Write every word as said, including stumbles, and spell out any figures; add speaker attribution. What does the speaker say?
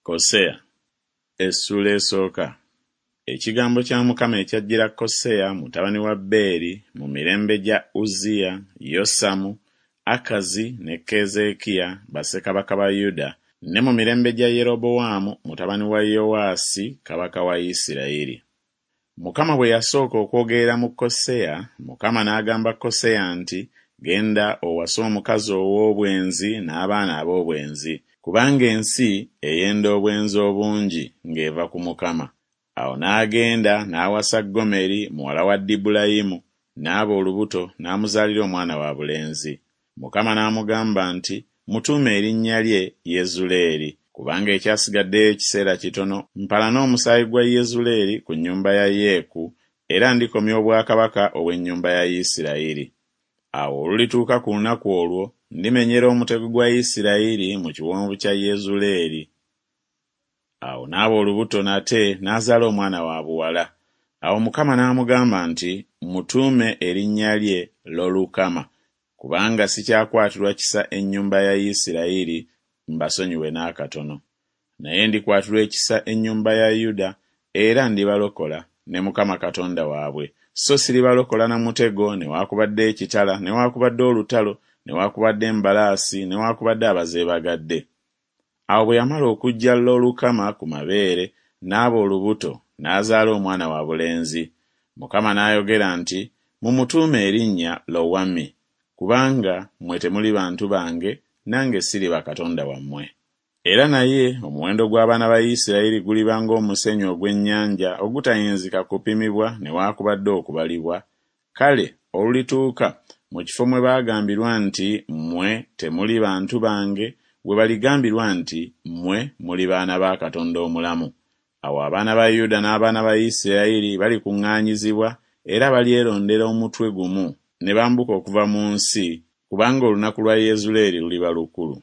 Speaker 1: Koseya essuula esooka. Ekigambo kya Mukama ekyajjira Koseya mutabani wa Beeri mu mirembe gya Uzziya, Yosamu, Akazi ne Keezeekiya bassekabaka ba Yuda, ne mu mirembe gya Yerobowaamu mutabani wa Yowaasi kabaka wa Isirayiri. Mukama bwe yasooka okwogerera mu Koseya, Mukama n'agamba Koseya nti, Genda owase omukazi ow'obwenzi n'abaana ab'obwenzi, kubanga ensi eyenda obwenzi obungi ng'eva ku Mukama. Awo n'agenda n'awasa Gomeri muwala wa Dibulayimu, n'aba olubuto n'amuzaalira omwana wa bulenzi. Mukama n'amugamba nti, Mutuume erinnya lye Yezuleeri, kubanga ekyasigaddeyo ekiseera kitono mpalane omusaayi gwa Yezuleeri ku nnyumba ya Yeeku, era ndikomya obwakabaka obw'ennyumba ya Isirayiri. Awo olulituuka ku lunaku olwo ndimenyera omutego gwa Isirayiri mu kiwonvu kya Yezuleeri. Awo n'aba olubuto nate n'azaala omwana wa buwala. Awo Mukama n'amugamba nti, Mutuume erinnya lye Lolukama, kubanga sikyakwatirwa kisa ennyumba ya Isirayiri mbasonyiwe n'akatono. Naye ndikwatirwa ekisa ennyumba ya Yuda, era ndibalokola ne Mukama Katonda waabwe. So siribalokola na mutego, newaakubadde ekitala, newaakubadde olutalo, newaakubadde embalaasi, newaakubadde abazeebagadde. Awo bwe yamala okuggya Lolukama ku mabeere, n'aba olubuto, n'azaala omwana wa bulenzi. Mukama n'ayogera nti, Mumutuume erinnya Lowami, kubanga mmwe temuli bantu bange, nange siriba Katonda wammwe. Era naye omuwendo gw'abaana ba Isirayiri guliba ng'omusenyu ogw'ennyanja ogutayinzika kupimibwa newaakubadde okubalibwa. Kale olulituuka mu kifo mwe baagambirwa nti, Mmwe temuli bantu bange, we baligambirwa nti, Mmwe muli baana ba Katonda omulamu. Awo abaana ba Yuda n'abaana ba Isirayiri balikuŋŋaanyizibwa, era balyerondera omutwe gumu ne bambuka okuva mu nsi, kubanga olunaku lwa Yezuleeri luliba lukulu.